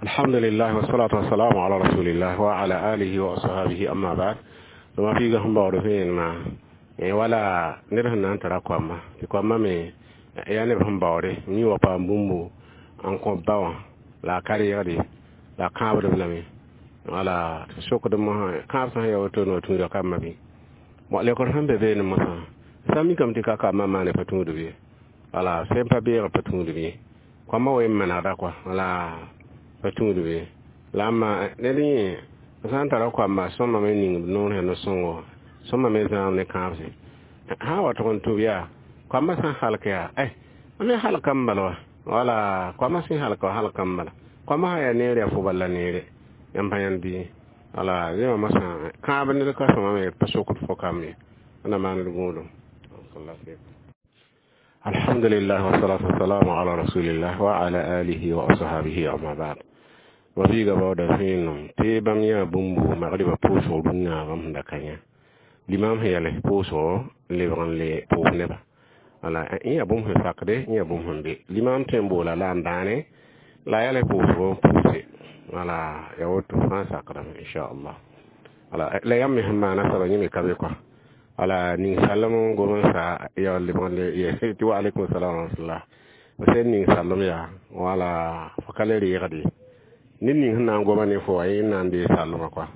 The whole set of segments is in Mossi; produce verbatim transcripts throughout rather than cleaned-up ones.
Alhamdulillah wassalatu wassalamu ala rasulillah wa ala alihi wa ashabihi, amma ba'd. Ma fiiga sẽn baood vẽenemã wala ned sẽn na n tara koama tɩ koamã me yaa neb sẽn baoode yẽ wa paam bũmbu n kõ ba wã la a ka reegd ye la a kãabd-b lame wala tɩ sokd mosã kãab sã n ya woto no tũuda kambã bɩ bon lekr sẽn be beene mosã sã n mikame tɩ ka kambã maane pa tũudb ye wala sẽn pa beegr pa tũudb ye koamã wa n manegda kɔa wala pa tũudb ye la ãmba ned yẽ sã n tara koamba sõma me ning b noor sẽn no-sõngo sõma me zãam ne kãabse sã n wa tʋg n tũb yaa koambã sã n halk yaa ɛ me halka n bala wa wala koambã sẽn halka wa halka n bala koambã sã yaa neere yaa fo bal la neere yãmb pa yãnd bɩ wala rẽwã mosã kãab ned ka sõma me pa sokd fo kamb ye na maand gũudum. Alhamdulillah wassalatu wassalamu ala rasulillah wa ala alihi wa ashabihi, amma ba'd. Ma fiiga baooda vẽenem tɩ bãmb yã bũmbu magriba pʋʋsg rũnnã bãmb sẽn da ka yã limam sẽn yɛls pʋʋsgo n lebg n le pʋʋs neba wala yẽ yaa bũmb sẽn sakde yẽ yaa bũmb sẽn be limam tõe n boola la n dãane la a yɛls pʋʋsgo n pʋʋse wala ya woto fãa sakdame inchallah wala la yãmb me sẽn maana soaba yẽ me ka be kɔa wala ning sallem n gom n sa ya lebg n le tɩ wa alaikum salam wa rahmatullah b sẽn ning sallem yaa wala fo ka le reegd ye ned ning sẽn na n goma ne fo wa yẽ n na n dee sallmã kɔa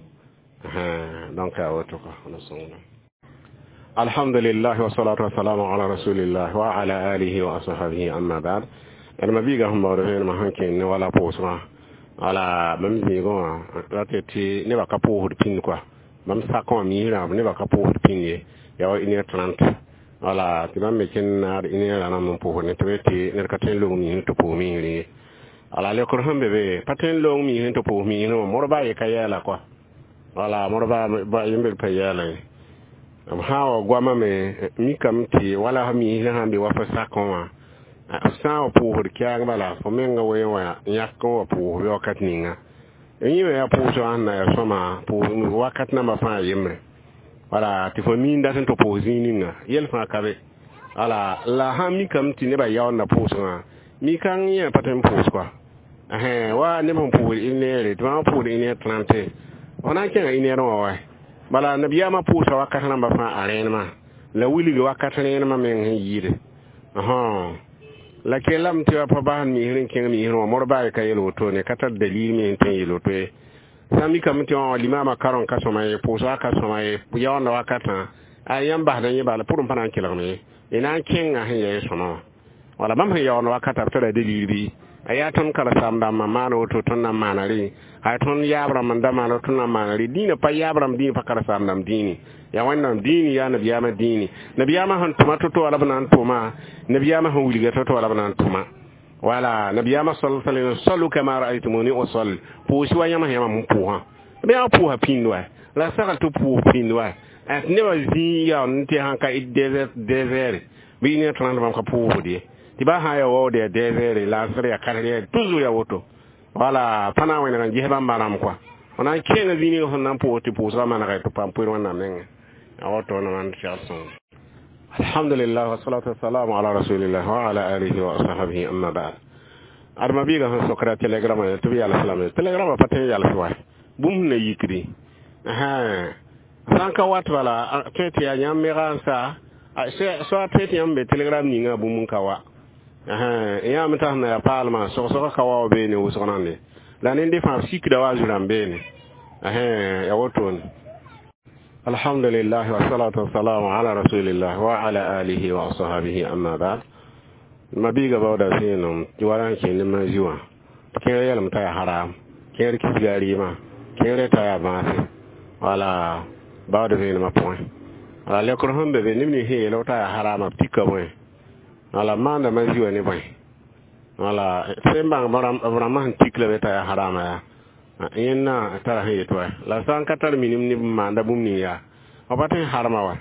donc yaa woto kɔa na sõngda. Alhamdulillah wassalatu wassalamu ala rasulillah wa ala alihi wa ashabihi, amma ba'd. D ma biiga sẽn baood vẽenemã sẽn kẽnd ne wala pʋʋsgã wala bãmb zĩigẽ wã rat tɩ nebã ka pʋʋsd pĩnd kɔa bãmb sak wã miisrã nebã ka pʋʋsd pĩnd ye yaa wa une heure trente wala tɩ bãmb me kẽnd naad une heure rãmb n pʋʋsd ne tɩ b tɩ ned ka tõe n long miisẽ tɩ pʋʋs miisr ye wala lekr sẽn be be pa tõe n loong miisẽ tɩ pʋʋs miisrẽ wã modba ye ka yɛɛla kɔa wala modba yembr pa yɛɛla ye b sã n wa goamã me mikame tɩ wala miisrã sãn be wa fo sakẽ wã sã n wa pʋʋsd kɛɛng bala fo menga wee wã yãk n wa pʋʋs bɩ wakat ninga yẽ me yaa pʋʋsgã sẽn na yaa sõma pʋʋs wakat nambã fãa yembre wala tɩ fo miin dat n tɩ pʋʋs zĩig ninga yɛl fãa ka be wala la sãn mikame tɩ nebã yaoonda pʋʋsgã mikãng yẽ pa tõe n pʋʋs kɔa wa neb sẽn pʋʋsd une heure tɩ bãmb pʋʋsd une heure trente fo na n kẽnga une heure wã wa bala nabiyaamã pʋʋsa wakat rãmbã fãa a rẽenemã la wilg wakat rẽenemã meng sẽn yɩɩde la kellame tɩ pa bas miisr n kẽng miisr wã modba ka yel wotone ka tar dalil me n tõe n yel woto ye sã n mikame tɩ wã limaamã karẽ ka sõma ye pʋʋsga ka sõma ye yaoonda wakatã a yãmb basda yẽ bala pʋrẽ pa na n kelgme ye y na n kẽnga sẽn yaa sõma wã wala bãmb sẽn yaoond wakata b tara dalil bɩ a yaa tõnd karen-saam-dãmbã maan woto tõnd na n maana rẽ a tõnd yaab rãmb n da maan woto na n maana rẽ dĩinã pa yaab rãmb dĩinã pa karen-saam-dãmb dĩini yaa Wẽnnaam dĩini yaa nabiyaamã dĩini nabiyaamã sẽn tʋma to-to wala b na n tʋma nabiyaamã sẽn wilga to-to wala b na n tʋma wala nabiyaamã sal sallam sallu kama ra'aytumuni usalli pʋʋs wa yãmb sẽn yãmb n pʋʋsã b yãmb pʋʋsa pĩnd wa la sagl tɩ pʋʋs pĩnd wa tɩ nebã zĩig yaa n tɩ sãn ka deux heures bɩ une heure trente bãmb ka pʋʋsd ye tɩ ba sã n yaa waood yaa deux heures la asr yaa quatre heures toujours yaa woto wala pa na n wẽneg n ges bãmba rãmb kɔa f na n kẽnga zĩig ning sẽn na n pʋʋs tɩ pʋʋsgã manega tɩ paam poer Wẽnnaam nengẽ a woto na maan segl sõng. Alhamdulillah wassalatu wassalamu ala rasulillah wa ala alihi wa ashabihi, amma ba'd. Adma biiga sẽn sokra telegrama tɩ b yals lame telegrama pa tõe n yals wa bũmb sẽn na yikdi sã n ka wat bala tõe tɩ yaa yãmb mega n sa soa tõe tɩ yãmb be telegram ninga bũmb n ka wa yãmb t'a sẽn na yaa paalmã sog-sogã ka wa wa beene wʋsg nande la nende fãa b sikda wa a zu-rãmb beene ya wotone. Alhamdulillah wassalatu wassalamu ala rasulillah wa ala alihi wa ashabihi, amma ba'd. Ma biiga baooda vẽenem tɩ wala n kẽnd ne mazi wã kẽer yɛlem t'a yaa haram kẽer kisga rɩɩmã kẽer t'a yaa bãase wala baood vẽenemã pʋgẽ wala lekr sẽn be be neb nins sẽn yeel t'a yaa harama b tika bõe wala maanda mazi wã ne bõe wala sẽn bãng b rãmbã sẽn tik la be t'a yaa harama yaa yẽnna tara sẽn yet wa la sã n ka tar minim neb n maanda bũmb ning yaa b pa tõe n harma wa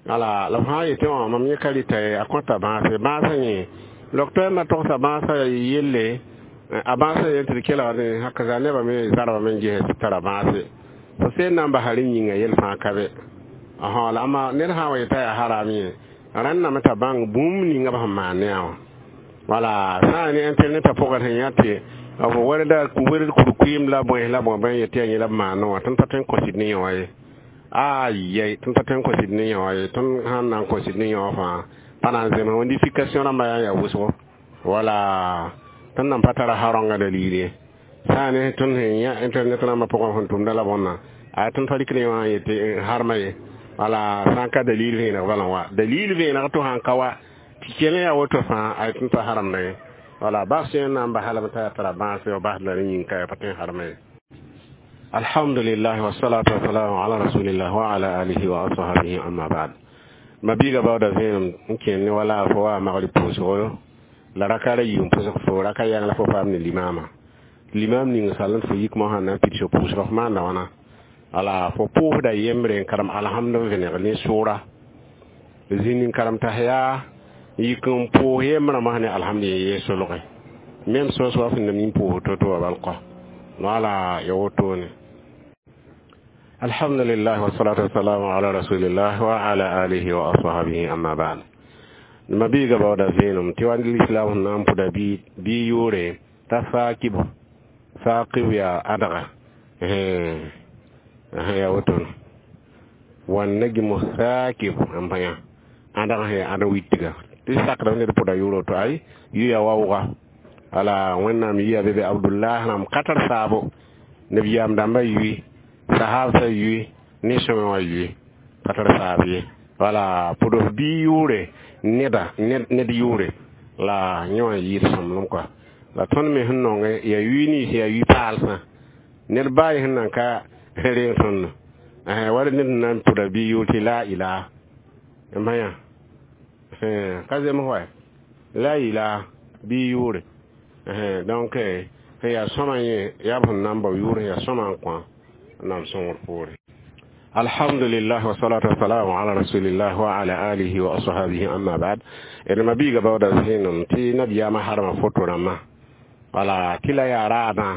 wala la b sã n yetɩ wã mam yẽ ka rɩta ye a kõta bãase bãasã yẽ docteur na togsa bãasã yelle a bãasã yel tɩ d kelgd hakaza nebã me zarba me n ges tɩ tara bãase fo sẽn na n basa rẽ yĩnga yel fãa ka be la ama ned sã n wa yeta yaa haram ye rãnname t'a bãng bũmb ninga b sẽn maan ne a wã wala sã n ne internet pʋgã sẽn yã tɩ b wɛrda wɛrd kurkuɩɩm la bões la bõe bõe yetɩ yaa yẽ la b maanẽ wã tõnd pa tõe n kõ-sɩd ne yõ ye ayɛy tõnd pa tõe n kõ-sɩd ne yõ ye tõnd sãn na n kõ-sɩd ne yõ fãa pa na n zems wẽndifikasiõ rãmbã yaa yaa wʋsgo wala tõnd nan pa tara harõngã dalil ye sã n ne tõnd sẽn yã internet rãmbã pʋgẽ sẽn tʋmda la bõnna a tõnd pa rɩk ne wã n yetɩ harma ye wala sã n ka dalil vẽeneg bala wa dalil vẽeneg tɩ sãn ka wa tɩ kell yaa woto fãa a tõnd pa haramda ye wala bas sẽn na n bas lame t'a yaa tara bãase wa bas la rẽ yĩng ka yaa pa tõe n harma ye. Alhamdulillah, wassalatu wassalamu ala rasulillah wa ala alihi wa ashabihi, amma ba'd. Ma biiga baooda vẽenem n kẽnd ne wala fo wa magrib pʋʋsgo la raka ra yii n pʋsg fo raka yãng la fo paam ne limama limam ning sal n fo yik mosã na n pids fo pʋʋsg f maanda wãna wala fo pʋʋsda yembre n karem alhamd n vẽneg ne sʋʋra zĩnd n karem t'a yaa yik n pʋʋs yembrã mosã ne alhamd ye solge même sos wa sẽn na min pʋʋs to-to wa bal kɔ wala ya wotone. Alhamdulillah, wassalatu wassalamu ala rasulillah wa ala alihi wa ashabihi, amma ba'd. Ma biiga baooda vẽenem tɩ wa lislam sẽn na n pʋda bɩ yʋʋre t'a saakib saakib yaa ãdga yaa wotone wanna gimo saakib n bãyã ãdg sẽn yaa ãdg witga tɩ sakdame ned pʋda yʋʋr woto ay yʋya waooga wala wẽnnaam yiya be be Abdullah rãmb ka tar saabo nabiyaam dãmbã yʋɩ sahabsã yʋɩ ne sõme wã yʋɩ pa tar saab ye wala pʋd f bii yʋʋre neda ned yʋʋre la yẽ wã yɩɩd sõmblem kɔa la tõnd me sẽn nonge yaa yʋɩ nins yaa yʋɩ paalsã ned baa yẽ sẽn nan ka reeg tõndo wala ned sẽn na n pʋda bii yʋʋr tɩ la ilaha n bãyã ka zems wa la ilaha bii yʋʋre. Donc sẽn yaa sõma yẽ yaa b sẽn na n bao yʋʋr yaa sõma n kõ nam sõngr poore. Alhamdulillah, wassalatu wassalamu ala rasulillah wa ala alihi wa ashabihi, amma ba'd. D ma biiga baooda vẽenem tɩ nabiyaamã harma foto rãmbã wala tɩ la yaa raadã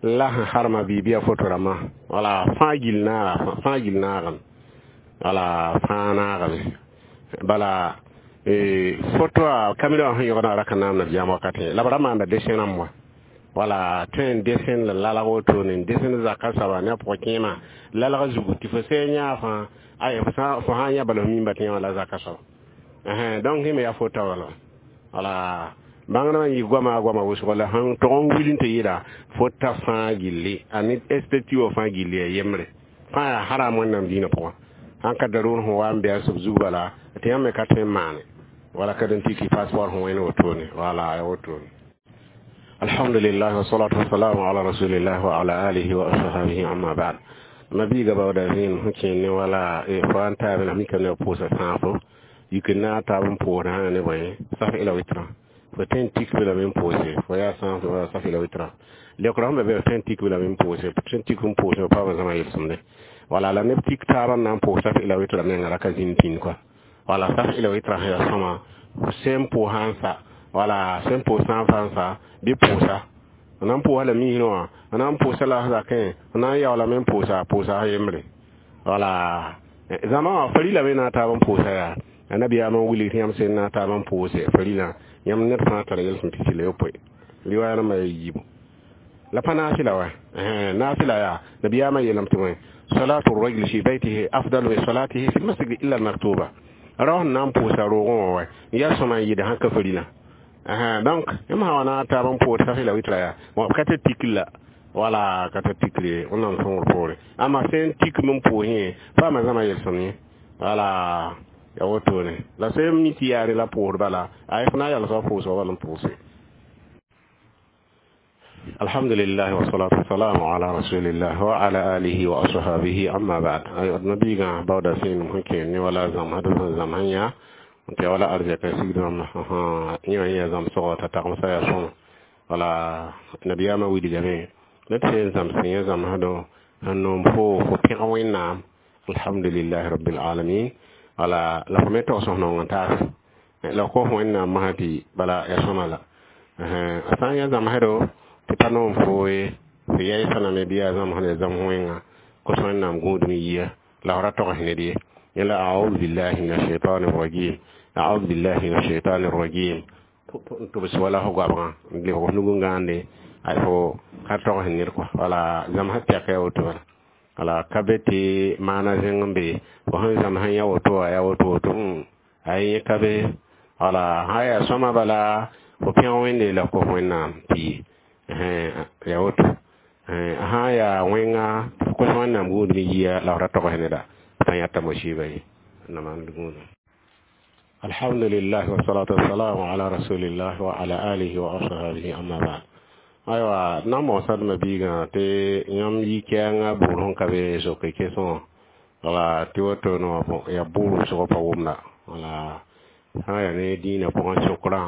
la sẽn harma biibiya foto rãmbã wala fãa gill naaga fãa gill naagame wala fãa naagame bala foto a kamera wã sẽn yõgdã raka naam nabiyaam wakatẽ la b ra maanda dessin rãmb wa wala tõe n desẽn la lalg wotone n desẽn zaka soaba ne a pʋgã kẽema lalga zugu tɩ fo sẽn yã fãa ay fo sã n yã bala f mimba tɩ yã wã la zaka soaba. Donc yẽ me yaa fota wala wala bãngdmã n yɩ goama goama wʋsgo la sẽn tog n wil n tɩ yɩla fota fãa gilli a ne esthétique wã fãa gilli ya yembre fãa yaa haram wẽnnaam dĩinã pʋgã sãn ka daroor sẽn wa n bɩ a sob zug bala tɩ yãmb me ka tõe n maane wala ka dẽn tɩ passeport sẽn wẽne wotone wala ya wotone. Alhamdulillah, wassalatu wassalamu ala rasulillah wa ala alihi wa ashabihi, amma ba'd. Ma biiga baooda vẽenem sẽn kẽen ne wala fo n taab la mika ne pʋʋsa sãafo yik n na taab n pʋʋsdã ne bõe saf ila wɩtrã fo tõe n tik be lame n pʋʋse fo yaa sãaf wala saf ila wɩtrã leokrã sẽn be be fo tõe n tik be lame n pʋʋse tõe n tik n pʋʋse paama zãma yelsẽmde wala la neb tik taabã n na n pʋʋs saf ila wɩtrã menga ra ka zĩnd pĩnd kɔa wala saf ila wɩtrã sẽn yaa sõma sẽn pʋʋsã n sa wala sẽn pʋʋs sã n fa n sa bɩ pʋʋsa n na n pʋʋsa la misrẽ wã n na n pʋʋsa la zakẽ n na n yaoolame n pʋʋsa pʋʋsa yembre wala zãma wã farila me na taab n pʋʋsa yaa annabiyaamã wilg tɩ yãmb sẽn na taab n pʋʋse farila yãmb ned fãa tara yel sẽn pisi la yopoe riwaaya rãmbã yaa yiibu la pa naafɩla wa naafɩla yaa nabiyaamã yeelame tɩ bõe salatu rajul fi baytihi afdalu min salatihi fi lmasjid illa almaktuba rao sẽn na n pʋʋsa roogẽ wã wa yaa sõma n yɩɩd sãn ka farila. Donc yãmb sã wa na taab n pʋʋs saf la wɩtra yaa ka tɩ tikl la wala ka tɩ tikl ye wẽnnaam sõngr poore amma sẽn tik m pʋʋs yẽ paama zãma yelsem ye wala ya wotone la sẽn mi tɩ yaare la pʋʋsd bala ay f na n yalsga pʋʋsga bal n pʋʋse. Alhamdulillah, wassalatu wassalamu ala rasulillah wa ala alihi wa ashabihi, amma ba'd. Ay nabiga baooda sẽnem sẽn kẽer ne wala zãmsd sẽn zãmsã yã tɩ wala arzɛka sigdrãmba yẽ wã yã zãmsgɔ t'a tagmsã yaa sõma wala nabiyaamã wilgame la tɩ sẽn zãms yẽ zãmsdõ n noom fo fo pẽg wẽnnaam alhamdulillahi rabbil alamin wala la fo me tags nong n taas la kos wẽnnaam masã tɩ bala ya sõma la a sã n yã zãmsdo tɩ pa noom fo ye fo yaɩsã lame bɩ yaa zãmsd ya zãms wẽnga kos wẽnnaam gũudum yia la f ra togs ned ye yẽla audhu billahi min ashaitani rajim audhu billahi min ashaitani rajim n tʋbs wala fo goabgã n lebg f nug n gãande. Ay fo ka tog sẽn ned kɔa wala zãmsã tɛka ya woto bala wala ka be tɩ maana zẽng n be fo sẽn zãms n yã woto wã ya woto woto ay yẽ ka be wala sã yaa sõma bala fo pẽg wẽnde la kos wẽnnaam tɩ ya woto sã n yaa wẽnga tɩ fo kos wẽnnaam gũudb yia la f ra togs neda pa yãta musiba ye na maan gũudum. Alhamdulillah wassalatu wassalamu ala rasulillah wa ala alihi wa ashabihi amma ba'd. Aywa na moosdmã biigã tɩ yãmb yi kɛɛngã buud sẽn ka be zoke kesẽ wã wala tɩ woto no yaa buud wʋsg pa wʋmda wala sã n yaa ne dĩinã pʋgẽ sokrã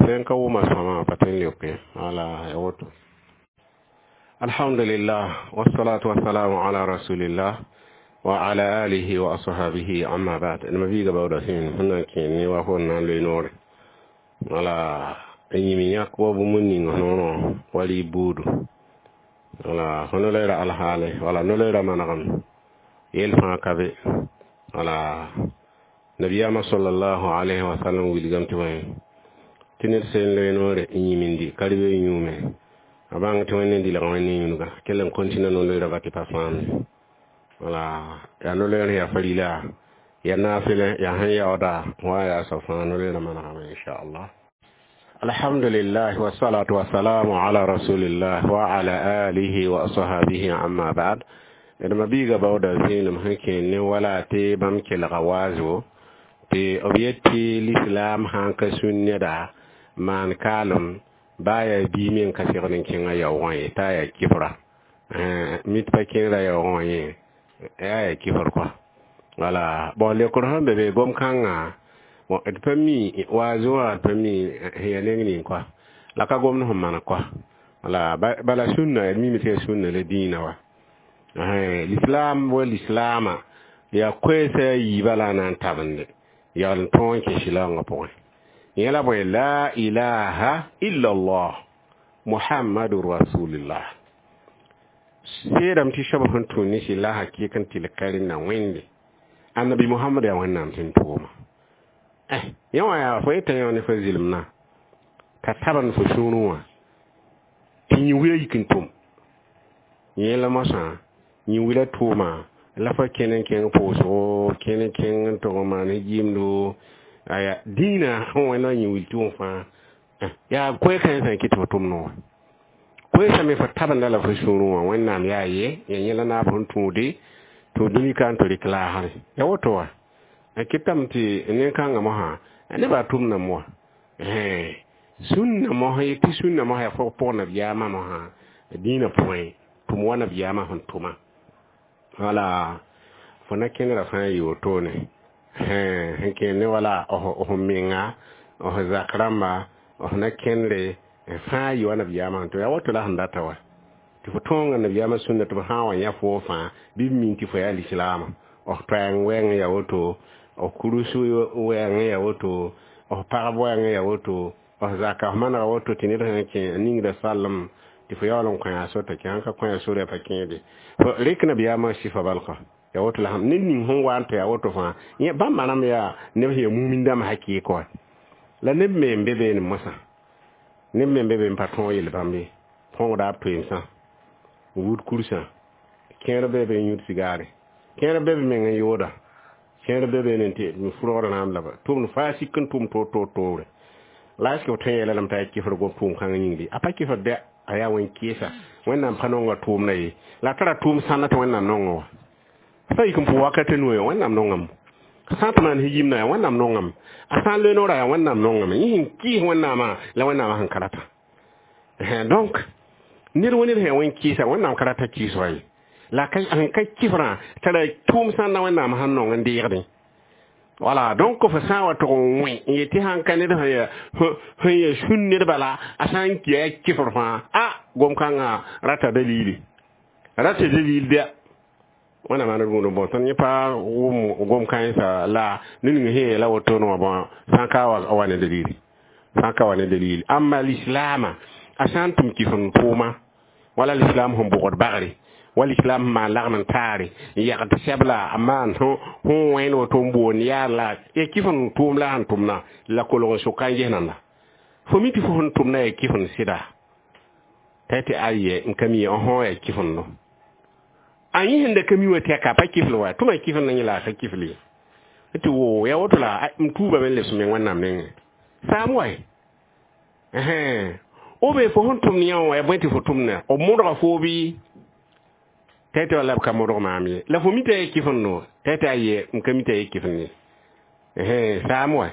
sẽn ka wʋma sõama pa tõe n leoke wala ya woto. Alhamdulillah wassalatu wassalamu ala rasulillah wa ala alihi wa ashabihi amma ba'd. Nima biiga baooda sẽn sẽn na n kẽer ne wa fo n na n loe noore wala n yĩm yãk wa bũmb ning noorã wa rɩ buudu wala fo no-loeera alhaale wala no-loeera manegem yel fãa ka be wala nabiyaamã sallallahu alayhi wa sallam wilgame tɩ bõe tɩ ned sẽn loe noore n yĩmindi ka rɩ be yũume a bãng tɩ wẽnd n dɩlg wẽnd yũnuga kell n continue no-loeera ba tɩ pa fãamde wala yaa no-loeer yaa farila yaa naafɩlẽ yaa sẽn yaooda wa yaa soab fãa no-loeerã manegame inchallah. Alhamdulillah wassalatu wassalamu ala rasulillah wa ala alihi wa ashabihi amma ba'd. D ma biiga baooda zĩenem sẽn kẽer ne wala tɩ bãmb kelga waazo tɩ b yet tɩ l'islam sã n ka sũn neda maan kaalem baa yaa bii me n ka segd n kẽngã yaoogã ye t'a yaa kifra mit pa kẽngra yaoogã wã yẽ yaa yaa kifr kɔa wala bon leokr sẽn be be gom-kãngã bon d pa mi waazo wã d pa mi sẽn yaa neng ning kɔa la ka gomd sẽn maan kɔa wala bala sũnna d mime tɩ yaa sũnna la dĩinã wa l'islam wa l'islaama yaa koɛɛsa a yiibã la a na n tabende yaool n tõog n kẽ sɩlaoongã pʋgẽ yẽ la bõe la ilaha illa allah muhammadu rasulillah seedame tɩ soab sẽn tũ ne sɩla hakɩɩk n tɩl ka rẽnda wẽnde annabi muhammad yaa wẽnnaam sẽn tʋʋma eh yẽ wã yaa fo yeta yẽ wã ne fo zɩlemna ka tabend fo sũurẽ wã tɩ yĩ-wila yik n tʋm yẽ la moasã yĩ-wila tʋʋma la fo kẽn n kẽng pʋʋsgo kẽn n kẽng n tʋg n maan yɩɩmdo aya dĩinã sẽn wẽnda yĩ-wil tʋʋm fãa yaa koɛɛ-kãensã n kɩt tɩ fo tʋm noore koɛɛsã me fo tabenda la fo sũurẽ wã wẽnnaam yaa ye ya yẽ la naab sẽn tũude tɩ dũni ka n tɩ rɩk laasre ya woto wa a kɩtame tɩ nen-kãngã mosã nebã tʋmdame wa sũnna mosã tɩ sũnna mosã yaa fo pʋg nabiyaamã mosã dĩinã pʋgẽ tʋm wa nabiyaamã sẽn tʋma wala fo na kẽnera fãa yɩ wotone sẽn kẽer ne wala f menga f zak rãmba f na kẽndre fãa yɩ wa nabiyaamã sẽn tʋm yaa woto la sẽn data wa tɩ fo tõoga nabiyaamã sũnna tɩ b sã n wa yã foo fãa bɩ b min tɩ fo yaa lislaama f toɛɛng wɛɛng ya woto f kurus wɛɛng ya woto f pagb wɛɛng ya woto f zaka f manega woto tɩ ned sẽn kẽ ningda sallem tɩ fo yaool n kõ a sota kẽ sãn ka kõ a sore pa kẽede fo rɩk nabiyaamã sɩfa balka ya woto la ned ning sẽn wa n tɩ yaa woto fãa yẽ bãmba rãmb yaa neb sẽn yaa mumin dãmb hakɩɩk wa la neb me n be beene mosã neb me n be be n pa tõog yel bãmb ye põgda b toeemsã n wud kursã kẽer be be n yũud sigaare kẽer be be meng n yooda kẽer be be n tɩ fʋrgd rãam la ba tʋmd faa sik n tʋm toor toor toore la est-ce que f tõe n yeela lame t'a yaa kɩfr gom tʋʋm kãngã yĩngre a pa kɩfr dɛ a yaa wẽn-kɩɩsa wẽnnaam pa nonga tʋʋmda ye la tara tʋʋm sãnda tɩ wẽnnaam nonga wa sã yik n pʋ wakat noe wẽnnaam nongame sã n tɩ maan yimna yaa wẽnnaam nongame a sã n loe noora yaa wẽnnaam nongame yẽ sẽn kɩɩs wẽnnaamã la wẽnnaamã sẽn ka rata donc ned wa ned sẽn yaa wẽn-kɩɩsa wẽnnaam ka rata kɩɩs wa ye la sẽn ka kɩfrã tara tʋʋm sãnda wẽnnaam sẽn nong n deegdẽ wala donc fo sã n wa tʋg n wẽ n yetɩ sãn ka ned sẽn yaa sẽn yaa sũn ned bala a sã n yaa kɩfr fãa a gom-kãngã rata dalili rata dalil dɛ wẽnnaam maan d gũud n bõ tõnd yẽ pa wʋm gom-kãensã la ned ning sẽn yeela wotone wã bõ sã n ka wa ne dalili sã n ka wa ne dalili amma lislaamã a sã n tʋm kɩf n tʋʋma wala l'islam sẽn bʋgd bagre wala islam sẽn maan lagm n taare n yagd sɛbla a maan sẽn wẽnd woto n boond yaa la ya kɩf n tʋʋm la sẽn tʋmna la kolg n soka n ges nanda fo mi tɩ fo sẽn tʋmna yaa kɩf n sɩda T'a tɩ aye n ka mi õ ya kifendo a yẽ sẽn da ka mi wã tɩ ka pa kifl wa tʋma kifl na yẽ la a ka kifl ye tɩ wo ya woto la m tuubame n lebs meng Wẽnnaam nengẽ saam wa o be fo sẽn tʋmd yã wã ya bõe tɩ fo tʋmda b modga foo bɩ t'a tɩ wala b ka modg maam ye la fo mi t'a ya kifendo t'a tɩ aye n ka mi t'a ya kifend ye saam wa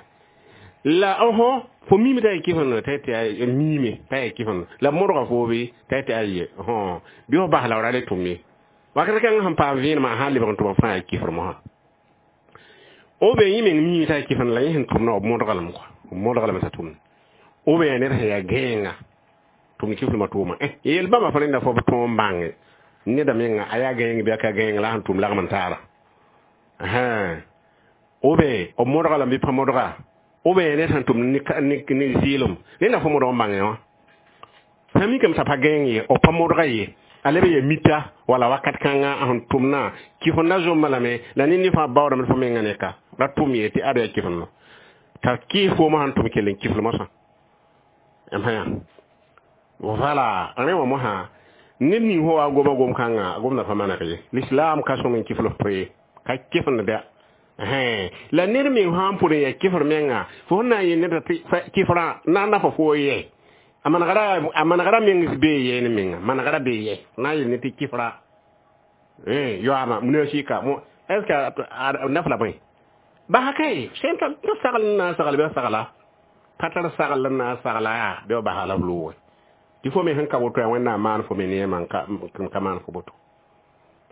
la õsõ fo mime t'a ya kifendo t'a tɩ miime t'a ya kifendo la modga foo bɩ t'a tɩ aye bɩ f bas la f ra le tʋm ye wakat kãngã sẽn paam vẽenemã sã n lebg n tʋma fãa ya kifr mosã o be yẽ meng miime t'a ya kifend la yẽ sẽn tʋmda b modga lame kɔa b modga lame t'a tʋmda o be yaa ned sẽn yaa gãenga tʋmd kiflmã tʋʋma yel bãmba fo rẽnda fo b tõog n bãnge neda menga a yaa gãeng bɩ a ka gãeng la sẽn tʋm lagm n taara o be b modga lame bɩ pa modga o be ned sẽn tʋmd ne zɩɩlem rẽnda fo modg n bãnge wã sã mikame t'a pa gãeng ye b pa modga ye a leb ya mita wala wakat kãngã sẽn tʋmdã kifenda zomba lame la ned ne fãa baoodame fo menga ne ka ra tʋm ye tɩ ad yaa kifendo t'a kɩɩs foomã sẽn tʋm kell n kifl mosã m voilà rẽ wã mosã ned ning fo wa goma gom kãngã gomda pa maneg ye l'islam ka sõng n kifl f to ye ka kifend bɩa la ned meng sã n pʋd n yaa kifr menga fo sẽn na n yel ned tɩ kifrã na n na fo foo yɛ a manegra a manegra meng bee yɛ ne menga manegra bee yɛ na n yel ne tɩ kifra yoaama munasika mo est ce que nafla bõe basa kay sẽn t'a sagl n na n sagl bɩ a sagla pa tar sagl n na n sagla yaa bɩ b basa la b loogẽ tɩ fo me sẽn ka woto yaa Wẽnnaam maan fo me neemã n ka maan fo boto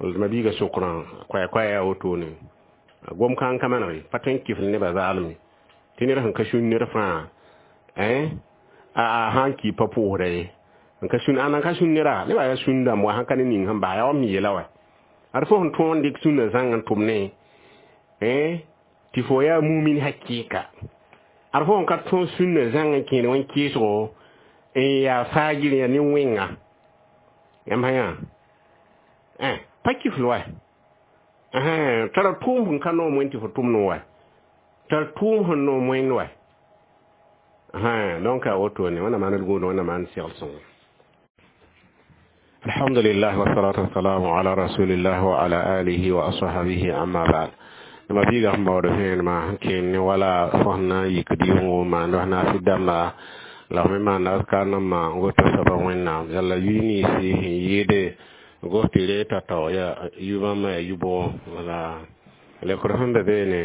ma biiga sokrã koɛɛ-koɛɛ yaa wotone gom kãng ka maneg ye pa tõe n kifl nebã zaalem ye tɩ ned sẽn ka sũn ned fãa a sãn ki pa pʋʋsda ye n ka sũn ãnda n ka sũn neda nebã yaa sũn dãmb wa sãn ka ne ning sẽn baa yaa wa m yeela wa ad fo sẽn tõog n dɩk sũnã zãng n tʋm ne tɩ fo yaa mumin hakɩɩka ad fo sẽn ka tõog sũnã zãng n kẽed wẽn-kɩɩsgo n yaa faagir yaa ne wẽnga yãmb sã yã pa kifl wa tara tʋʋm sẽn ka noom wẽn tɩ fo tʋmd wa tar tʋʋm sẽn noom wẽnd wa donc a wotone wẽnnaam maan d gũud wẽnnaam maan segl sõngo alhamdulillah wassalatu wassalamu ala rasulillah wa ala alihi wa ashabihi amma ba'd ma biiga sẽn baood vẽenemã sẽn kẽen ne wala fo sẽn na n yikd yʋngo maand f naasɩ dãmba la f me maanda azkar nãmbã n goto soaba Wẽnnaam yalla yʋy ninsi sẽn yɩɩde gos tɩ reeg tao-tao yaa yu-bãmba yaa yu-bʋgõ wala lekr sẽn be beene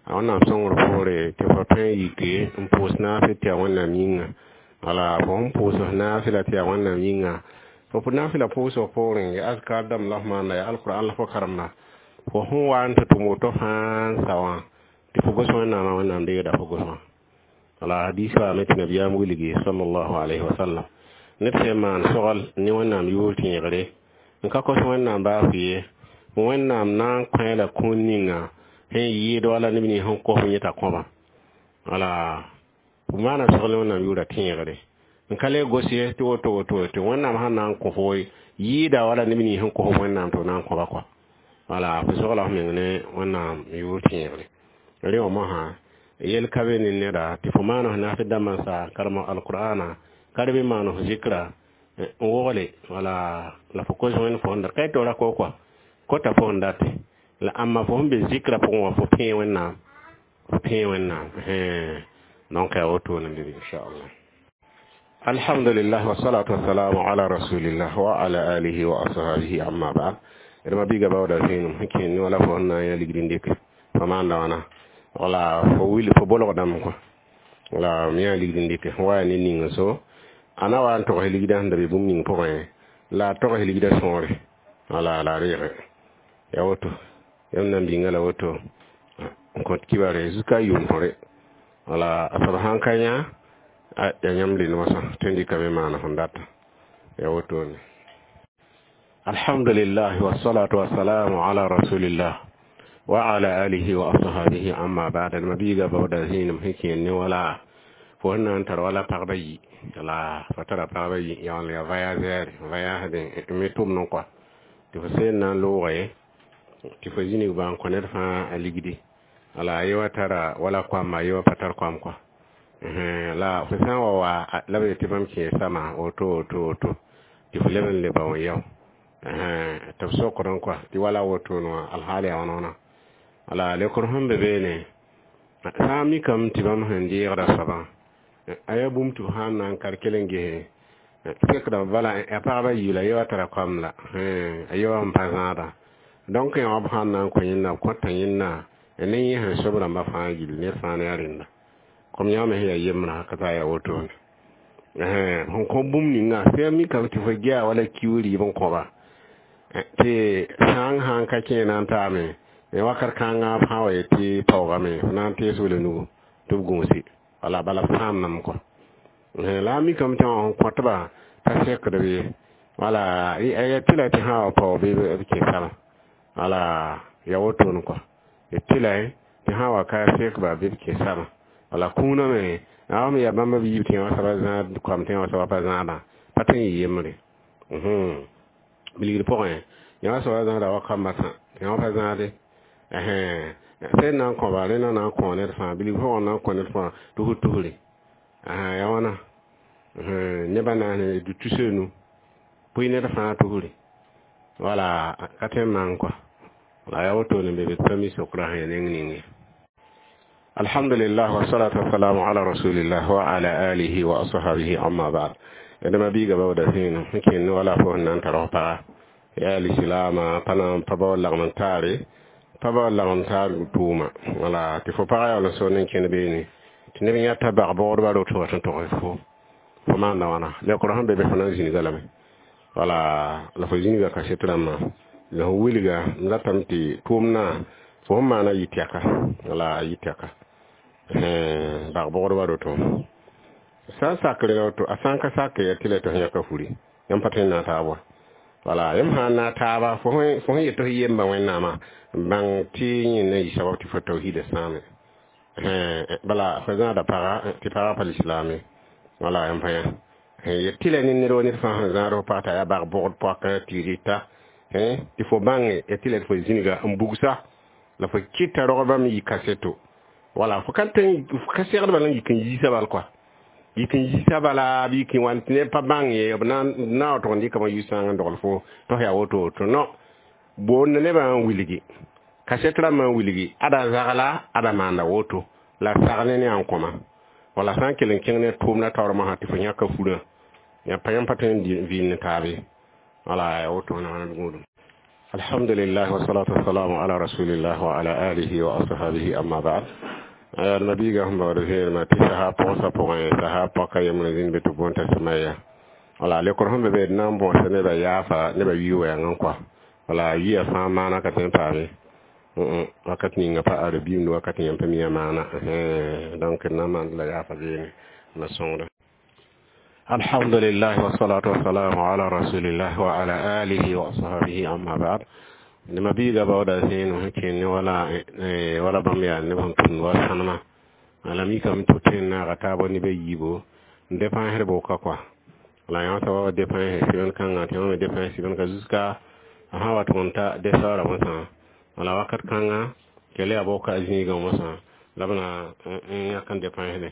a Wẽnnaam sõngr poore tɩ fo tõe n yike n pʋʋs naasɩ tɩ yaa Wẽnnaam yĩnga wala fo sẽn pʋʋs f naasɩ la tɩ yaa Wẽnnaam yĩnga fo naasɩ la pʋʋsg poorẽ yaa azkar dãmb la f maanda yaa alqur'an la fo karemda fo sẽn wa n tɩ tʋm woto fãa n sa wã tɩ fo gos Wẽnnaamã Wẽnnaam deegda fo gosmã wala hadis waame tɩ nabiyaam wilgi sallallahu alayhi wa sallam ned sẽn maan sogl ne Wẽnnaam yʋʋr tẽegre n ka kos Wẽnnaam baasg ye Wẽnnaam na n kõ la kũun ninga sẽn yɩɩd wala neb nins sẽn kos yẽta kõba wala f maana sogl ne Wẽnnaam yʋʋra tẽegre n ka le gos ye tɩ woto woto tɩ Wẽnnaam sãn na n kõ fo yɩɩda wala neb nins sẽn kos Wẽnnaam tɩ b na n kõba kɔa wala fo sogla f meng ne Wẽnnaam yʋʋr tẽegre rẽ wã mosã yel ka be ne neda tɩ fo maan f naasɩ dãmbã n sa karem alqur'ana ka be maan f zikra n wogle wala la fo kos wẽnd fo sẽn dat ka tɩ ra ko kɔa kota fo sẽn date la ãmba fo sẽn be zikra pʋgẽ wã fo pẽe Wẽnnaam fo pẽe Wẽnnaam donc yaa wotone n inchallah alhamdulillah wassalatu wassalamu ala rasulillah wa ala alihi wa ashabihi amma ba'd d ma biiga baooda vẽenem sẽn kẽen ne wala fo sẽn na n yã ligd n dɩke fo maanda wãna wala fo wil fo bolgdame kõ wala m yã ligd n dɩke wa yaa ne ning n so a na wa n togs ligdã sẽn da be bũmb ning pʋgẽ la a togs ligdã sõore wala la a reege ya woto yãmb na n bĩnga la woto n kõt kibare jusqu'à yʋʋm tõre wala a soab sãn ka yã ya yãmb le mosã tõe n dɩkame maana sẽn data ya wotone alhamdulillah wassalatu wassalamu ala rasulillah wa ala alihi wa ashabihi amma ba'd ma biiga baooda zĩinem sẽn kẽen ne wala fo sẽn na n tar wala pagba yi la fo tara pagba yi yaool ya voyageur voyaged n me tʋmd n kɔa tɩ fo seen na n loogẽ tɩ fo zĩnig bã n kõ ned fãa a ligdi wala ye wa tara wala koamba ye wa pa tar koam kɔa la fo sã n wa wa la b yetɩ bãmb kẽe sama woto woto woto Tɩ f leb n le bao n yao tɩ b sokd n kɔa tɩ wala wotone wã alhaal yaa wãna wãna. Wala lekr sẽn be beene sã n mikame tɩ bãmb sẽn deegda soabã a yaa bũmb tɩ b sãn na n kar kell n gese sekdame bala a pagba yiib la ye wa tara koam la a ye wa n pa zãada. Donc yã wã b sãn na n kõ yẽnda b kõta yẽnda ne yẽ sẽn sob rãmbã fãa gill ned fãa ne a rẽnda kom yã me sẽn yaa yembrã ka taa yaa wotone sẽn kõ bũmb ninga sã mikame tɩ fo gea wala kiuug rɩɩb n kõba tɩ sãang sãn ka kẽ na n taame wakat kãngã b sã wa yetɩ paoogame f na n tees wele nugu tɩ b gũusi wala bala b sãamdame kɔ la a mikame tɩ wã sẽn kõtba pa sekd be wala ya tɩla tɩ sã wa paoog bɩ b kẽ saba wala ya wotone kɔ tɩla tɩ sã wa ka sekba bɩ b kẽ saba wala kũunã me a me yaa bãmb b yiib tɩ wã soaba zãad koam tɩ wã soaba pa zãadã pa tõe n yɩ yembre bilgd pʋgẽ yã soaba zãada wa kambã sã tɩ wã pa zãade sẽn na n kõba rẽna na n kõ ned fãa bilg pʋgẽ na n kõ ned fãa tusr tusre ya wãna nebã na n du tus-a-nu pʋɩ ned fãa tusre wala ka tõe n maan kɔa la ya wotone be be pa mi sokra sẽn ya neng ning ye. Alhamdulillah wassalatu wassalamu ala rasulillah wa ala alihi wa ashabihi amma ba'd. Edama biiga bawda sẽn n kẽnd wala fo sẽn na n tar f paga yaa lislaama pa na pa bao lagm n taare pa bao lagm n taar tʋʋma wala tɩ fo pagã yaool n soond n kẽnd beene tɩ neb yãta bag bogdba roto wa tɩ n tog fo fo maanda wãna lekr sẽn be be fo na n zĩniga lame wala la fo zĩniga kaset rãmbã la fo wilga n ratame tɩ tʋʋmdã fo sẽn maana yɩ tɛka wala a yɩ tɛka bag bogdba roto sã n sakre woto a sã n ka sak ya tɩ la tɩ f yãka furi yãmb pa tõe n na n taab wa wala yãmb sã n na taaba fo sẽn yet f yemba wẽnnaamã bãng tɩ yẽnda yɩ sabab tɩ fo tawhiida sãame bala fo zãada paga tɩ pagã pa lislaame wala yãmb pa yã yet tɩ la ne ned wa ned fãa sẽn zãad f pag t'a yaa bag bogd poakã tɩ rɩta tɩ fo bãnge ya tɩ la tɩ fo zĩniga n bugsa la fo kɩta rogba me yɩ kaseto wala fo ka tõe fo ka segd bala n yik n yiisa bal kɔa yik n yiisa bala bɩ yik n wan tɩ neb pa bãng ye b na wa tʋg n dɩkame yʋ-sãang n dogl fo tɩ f yaa woto woto no boond nebã n wilgi kaset rãmbã n wilgi ada zagla ada maanda woto la sagne ne a n kõma wala sã n kell n kẽng ne tʋʋmdã taoor mosã tɩ fo yãka furã ya pa yãmb pa tõe n vɩɩnd ne taabe wala ya woto na wãna gũudum. Alhamdulillah wassalatu wassalamu ala rasulillah wa ala alihi wa ashabihi amma ba'd. Nabiga sẽn baood vẽenemã tɩ sasa pʋgsa pʋgẽ sasa paka yembrã zĩnd be tɩ boond t'a sẽmaya wala lekr sẽn be be d na n bõosa nebã yaafa nebã yʋɩ wɛɛng n kɔa wala yʋɩa fãa maana ka tõe n paame wakat ninga pa arabiimd wakat yãmb pa miã maana donc d na n maand la yaafa beene na sõngda. Alhamdulillah wassalatu wassalamu ala rasulillah wa ala alihi wa ashabihi amma ba'd. Nima biiga baooda zẽen sẽn kẽnd wala wala bãmb yaa neb sẽn tʋmd wa sãnema la mikame tɩ tõe n naaga taabã neb a yiibo n dépensd bʋka kɔa la yã soaba wa dépens semaine kãngã tɩ yã me dépens semaine ka jusqu'à a sã wa tʋg n ta desaoora mosã wala wakat kãngã kell yaa bʋka a zĩigã mosã la b na n yãk n dépensde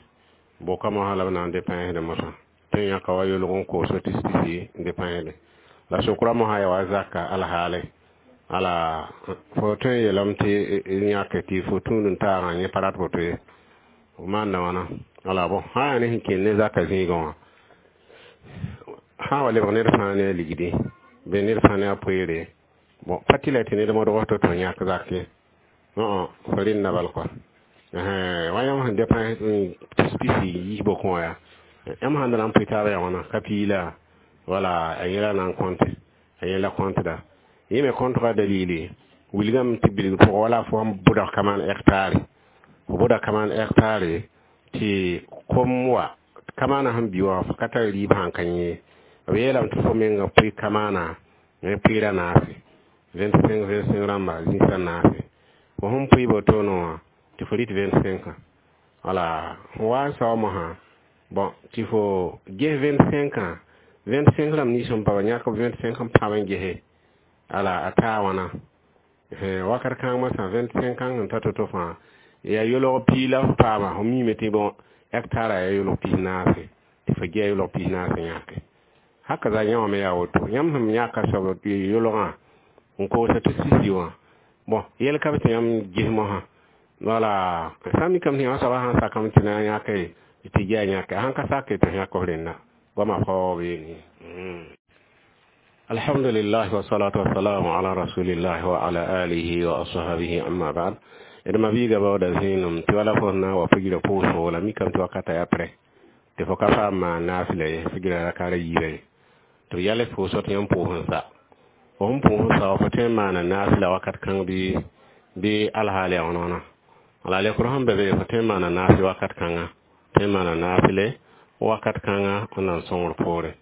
bʋka mosã la b na n dépensde mosã tõe n yãka wa yolg n koos tis-tisi n dépensde la sokra mosã yaa wa zaka alhaale ala fo tõe n yeelame tɩ yãke tɩ fo tũud n taagã yẽ pa rat woto ye f maanda wãna wala bõ sã yaa ne sẽn kẽnd ne zaka zĩigã wã sã wa lebg ned fãa ne a ligdi bɩ ned fãa ne a poeere bon pa tɩ la tɩ ned modg to tɩ yãk zak ye fo rẽnda bal kɔa wa yãmb sẽn dépens tis-pisi yiis bokẽ wã yaa yãmb sãn da na n pʋɩ taabã yaa wãna ka piila wala a yẽla na n kõnte a yẽla kõntda yẽ me kõntga dalili wilgame tɩ bilg pʋgã wala fo sẽn bʋdg kaman hectare fo bʋda kaman hectare tɩ kom wa kamaana sẽn bi wã fo ka tar rɩɩb sãn ka yẽ b yeelame tɩ fo menga pʋɩ kamaana ne pʋɩɩra naase vingt-cinq vingt-cinq rãmba zĩisã naase fo sẽn pʋɩ botoone wã tɩ fo rɩt vingt-cinq wala fo wa n sao mosã bon tɩ fo ges vingt-cinq vingt-cinq rãmb nins sẽn pa ba yãk vingt-cinq n pãb n gese ala a taa wãna wakat kãng mosã vingt-cinq sẽn ta to-to fãa yaa yolg pii la f paama fo miime tɩ bon hectare yaa yolg pis naase tɩ fo gea yolg pis naase yãke. Haka za yã wã me yaa woto yãmb sẽn yãka soab yolgã n koosã tɩ sisi wã bon yɛl ka be tɩ yãmb ges mosã wala sã n mikame tɩ yã soabã sãn sakame tɩ na n yãke tɩ yaa yãke a sãn ka sake tɩ yãk f rẽnda goamã faoog beene. Alhamdulillah wassalatu wassalamu ala rasulillah wa ala alihi wa ashabihi, amma ba'd. D ma biiga baooda zẽenem tɩ wala fo na n wa figra pʋʋsgo la mikame tɩ wakata yaa prɛ tɩ fo ka paam maan naafɩla ye figra rakaara yiibã ye tɩ b yals pʋʋsg tɩ yãmb pʋʋs n sa fo sẽn pʋʋs n sa fo tõe n maana naafɩla wakat kãng bɩ bɩ alhaal yaa wãna wãna la lekr sẽn be be fo tõe n maana naafɩ wakat kãnga tõe n maana naafɩle wakat kãnga n na n sõngr poore.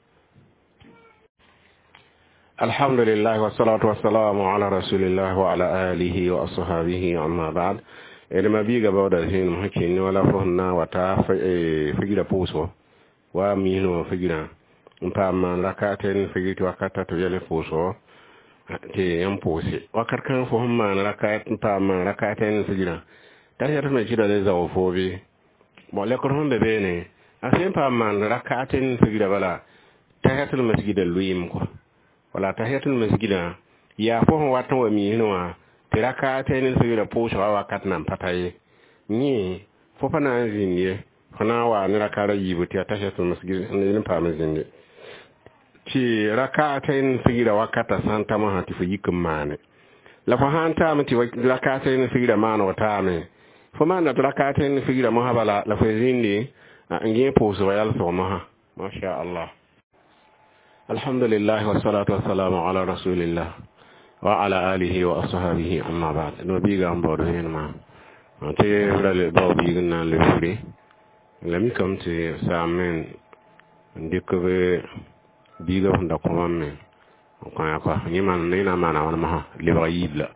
Alhamdulillah wassalatu wassalamu ala rasulillah wa ala alihi wa ashabihi, amma ba'd. D ma biiga baooda zẽenem sẽn kẽnd wala fo sẽn na n wa ta figra pʋʋsgo wa misẽ wã figrã n paam maan rakaten figr tɩ wakata tɩ b yɛl pʋʋsgo tɩ yãmb pʋʋse wakat kãng fo sẽn maan rakat n paam maan rakaten figrã t'a yɛt me kɩda le zao fo bɩ bon lekr sẽn be beene a sẽn paam maan rakaten figrã bala tahiyatul masjida lʋɩɩm kɔ wala tahiyatul masjida yaa fo sẽn wat n wa misẽ wã tɩ rakaten figrã pʋʋsgã wakat nan pa ta ye yẽ fo pa na n zĩnd ye fo na n waa ne rakaara yiibu tɩ yaa tahiyatul masjid n paam n zĩnde tɩ rakaten figrã wakata sã n ta mosã tɩ fo yik n maane la fo sãn taame tɩ rakaten figrã maanego taame fo maanda tɩ rakaten figrã mosã bala la fo zĩndi n gẽ pʋʋsgã yalsg mosã masha Allah. Alhamdulillah wassalatu wassalamu ala rasulillah wa ala alihi wa ashabihi, amma ba'd. No biiga n baood vẽenemã tɩ ra le bao biig n na n le furi la mikame tɩ saam me n dɩk b biiga sẽn da kõ bãmb me n kõ ya kɔa yẽ maan ne na n maana wãn mosã lebg yiib la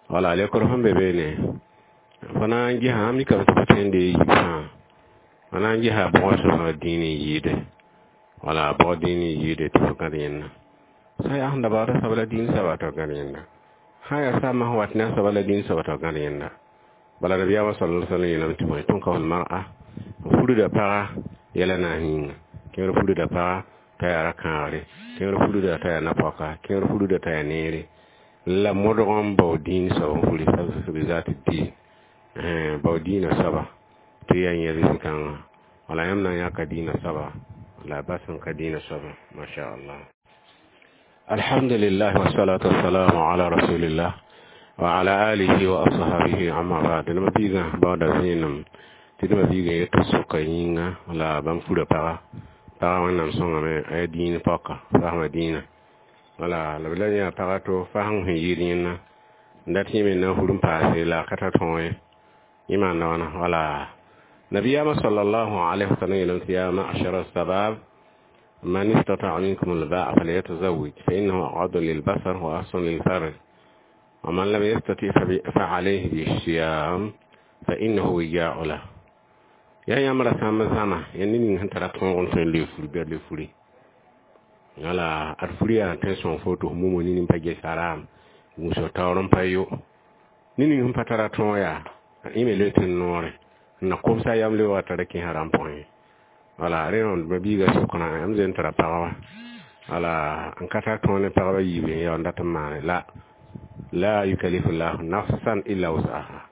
wala lekr sẽn be beene fo na n gesã mikame tɩ fo tõe n dee yiib fãa fo na n gesa bʋgã soabã dĩin n yɩɩde wala bʋg dĩin n yɩɩde tɩ fo gãd yẽnda sã yaa sẽn da baood soaba la dĩin soaba tɩ f gãd yẽnda sã yaa saamã sẽn wat ne a soaba la dĩin soaba tɩ f gãd yẽnda bala nabiyaamã sala sallam yeelame tɩ bõe tunkahu lmar'a furda paga yɛla naas yĩnga kẽer furda paga t'a yaa ra-kãagre kẽer furda t'a yaa na-poaka kẽer furda t'a yaa neere la modg n bao dĩin soab n furi bi zat diin bao dĩinã soaba tɩ yaa yẽ rɩs-kãngã wala yãmb na n yãka dĩinã soaba la bas n ka dĩinã soaba masha Allah. Alhamdulillah wassalatu wassalamu ala rasulillah wa ala alihi wa ashabihi, amma ba'd. D ma biigã baooda zẽenem tɩ d ma biigã yet soka yĩnga la bãmb fura paga paga wẽnnaam sõngame a yaa dĩin pɔka fasma dĩinã wala la b la yã paga to fasẽng sẽn yɩɩd yẽnna n dat yẽ me na n fur n paase la a ka tar tõog ye yẽ maanda wãna wala nabiyaamã sallallahu alaihi wasallam yeelame tɩ ya ma'shara sabab man istata'a minkum al-ba'a falyatazawwaj fa innahu aghaddu lil-basar wa ahsanu lil-farj wa man lam yastati' fa alayhi bis-siyam fa innahu wija'u lahu yaa yãmb ra sãmb zãma ya ned ning sẽn tara tõog n tõe n le furi bɩ le furi wala ad furi yaa tõe n sõng fo tɩ f mumo nini n pa ges haram gũusg taoor n pa yo ned ning sẽn pa tara tõog yaa yẽ me le tɩ n noore n na komsa yam le wa tara kẽ haram pʋgẽ ye wala rẽ ma biiga soknã yãmb zen tara pagba wala n ka tar tõog ne pagba yiib n yaa n dat n maane la la yukallifu llahu nafsan illa wusaha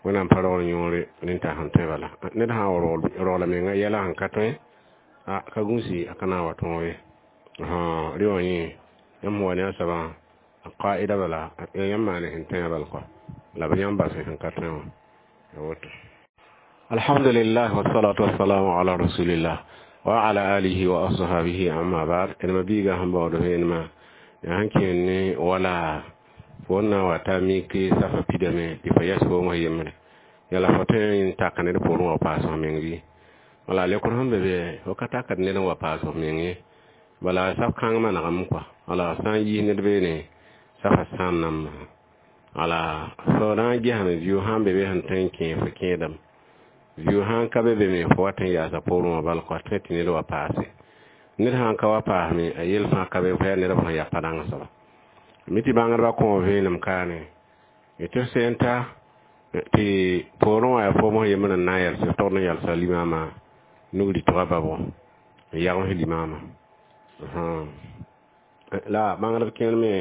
wẽnnaam pa rogl yõore rẽn t'a sẽn tõe bala ned sã n rogla menga yɛla sẽn ka tõe a ka gũusi a ka na n wa tõog ye rẽ wã yẽ yãmb wa ne a soabã a qaida bala yãmb maane sẽn tõe bal kɔa la b yãmb bas sẽn ka tõe wã ya woto. Alhamdulillah wassalatu wassalamu ala rasulillah wa ala alihi wa ashabihi, amma ba'd. D ma biiga sẽn baood vẽenemã yaa sẽn kẽen ne wala fo n na n wa ta mik safa pidame tɩ fo yɛs foom yembre yala fo tõe n tak ned poorẽ wa paas f meng bɩ wala lekr sẽn be be fo ka takd ned n wa paas f meng ye bala saf kãng manegame kɔa wala sã n yiis ned beene safa sãam nambã wala fo na n gesame viʋ sãn be be sẽn tõe n kẽe fo kẽedame viʋ sãn ka be be me fo wat n yaasa poorẽ wã bal kɔa tõe tɩ ned wa paase ned sãn ka wa paasme a yel fãa ka be fo yaa nedb sẽn ya pa-dãng soaba mi tɩ bãngdbã kõ vẽenem kaane tɩ sẽn ta tɩ poorẽ wã yaa foom sẽn yembr n na n yɛls togd n yɛlsa limaamã nug rɩtgã babgo n yagms limaamã La bãngdb kẽer me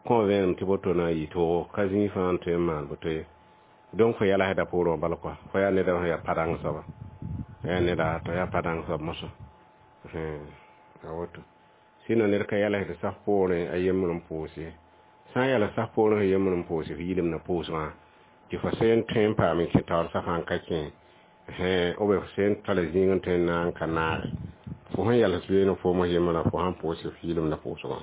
kõ vẽenem tɩ boto na n yɩ toogo ka zĩig fãa n tõe n maan boto ye. Donc fo yɛlsda poorẽ wã bal kɔa, fo yaa neda sẽn yaa pa-dãng soaba, yaa neda t'a yaa pa-dãng soab mosã, a woto. Sinon ned ka yɛlsd saf poorẽ a yembr n pʋʋs ye. Sã n yɛls saf poorẽ f yembr n pʋʋs, f yɩlem na pʋʋsgã tɩ fo sẽn tõe n paam n kẽ taoor safã n ka kẽ, ou bien fo sẽn tala zĩig n tõe n na n ka naage, fo sẽn yɛls beene foom f yembrã, fo sãn pʋʋs, f yɩlem na pʋʋsgã.